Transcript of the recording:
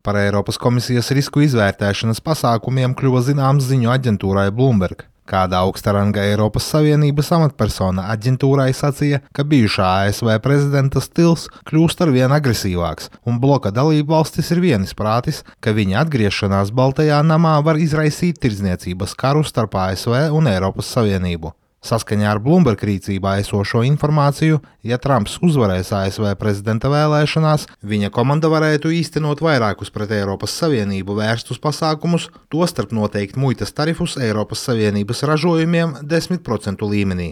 Par Eiropas komisijas risku izvērtēšanas pasākumiem kļuva zināms ziņu aģentūrai Bloomberg. Kāda augsta ranga Eiropas Savienības amatpersona aģentūrai sacīja, ka bijušā ASV prezidenta stils kļūst arvien agresīvāks, un bloka dalībvalstis ir vienisprātis, ka viņa atgriešanās Baltajā namā var izraisīt tirdzniecības karu starp ASV un Eiropas Savienību. Saskaņā ar Bloomberg rīcībā esošo informāciju, ja Trumps uzvarēs ASV prezidenta vēlēšanās, viņa komanda varētu īstenot vairākus pret Eiropas Savienību vērstus pasākumus, tostarp noteikt muitas tarifus Eiropas Savienības ražojumiem 10% līmenī.